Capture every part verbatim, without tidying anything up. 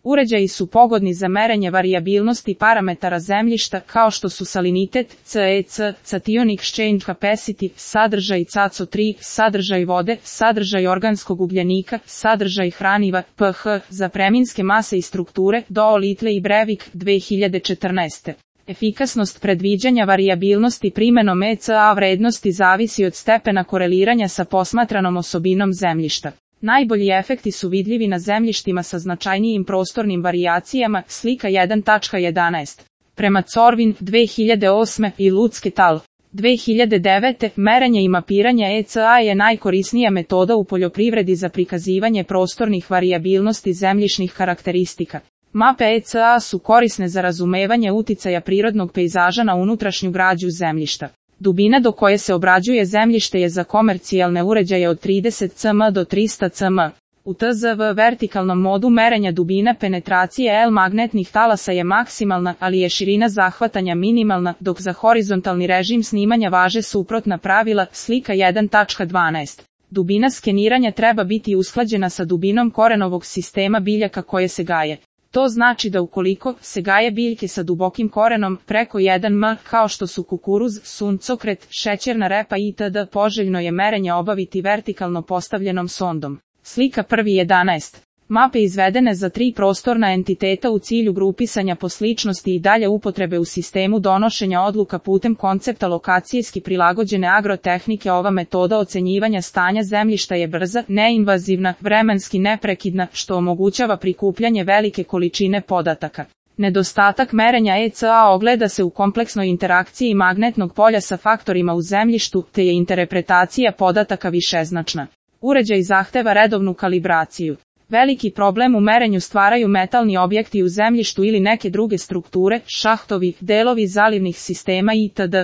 Uređaji su pogodni za merenje varijabilnosti parametara zemljišta kao što su salinitet, C E C, cation exchange capacity, sadržaj C A C O tri, sadržaj vode, sadržaj organskog ugljenika, sadržaj hraniva, pH, za preminske mase i strukture, Dow, Little i Brevik, dve hiljade četrnaeste. Efikasnost predviđanja varijabilnosti primenom E C A vrednosti zavisi od stepena koreliranja sa posmatranom osobinom zemljišta. Najbolji efekti su vidljivi na zemljištima sa značajnijim prostornim varijacijama, slika jedan tačka jedanaest. Prema Corvin, dve hiljade osme i Lutz et al. dve hiljade devete. Merenje i mapiranje E C A je najkorisnija metoda u poljoprivredi za prikazivanje prostornih varijabilnosti zemljišnih karakteristika. Mape E C A su korisne za razumevanje uticaja prirodnog pejzaža na unutrašnju građu zemljišta. Dubina do koje se obrađuje zemljište je za komercijalne uređaje od trideset centimetara do trista centimetara. U T Z V vertikalnom modu merenja dubina penetracije L magnetnih talasa je maksimalna, ali je širina zahvatanja minimalna, dok za horizontalni režim snimanja važe suprotna pravila, slika jedan tačka dvanaest. Dubina skeniranja treba biti usklađena sa dubinom korenovog sistema biljaka koje se gaje. To znači da ukoliko se gaje biljke sa dubokim korenom preko jedan metara kao što su kukuruz, suncokret, šećerna repa itd. Poželjno je merenje obaviti vertikalno postavljenom sondom. Slika prvi jedanaest. Mape izvedene za tri prostorna entiteta u cilju grupisanja po sličnosti i dalje upotrebe u sistemu donošenja odluka putem koncepta lokacijski prilagođene agrotehnike. Ova metoda ocenjivanja stanja zemljišta je brza, neinvazivna, vremenski neprekidna, što omogućava prikupljanje velike količine podataka. Nedostatak merenja E C A ogleda se u kompleksnoj interakciji magnetnog polja sa faktorima u zemljištu, te je interpretacija podataka višeznačna. Uređaj zahteva redovnu kalibraciju. Veliki problem u merenju stvaraju metalni objekti u zemljištu ili neke druge strukture, šahtovi, delovi zalivnih sistema itd.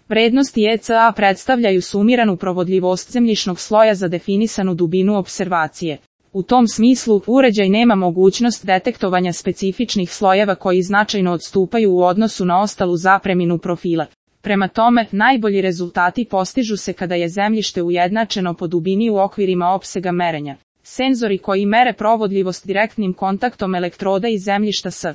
Vrednosti E C A predstavljaju sumiranu provodljivost zemljišnog sloja za definisanu dubinu opservacije. U tom smislu, uređaj nema mogućnost detektovanja specifičnih slojeva koji značajno odstupaju u odnosu na ostalu zapreminu profila. Prema tome, najbolji rezultati postižu se kada je zemljište ujednačeno po dubini u okvirima opsega merenja. Senzori koji mere provodljivost direktnim kontaktom elektroda i zemljišta s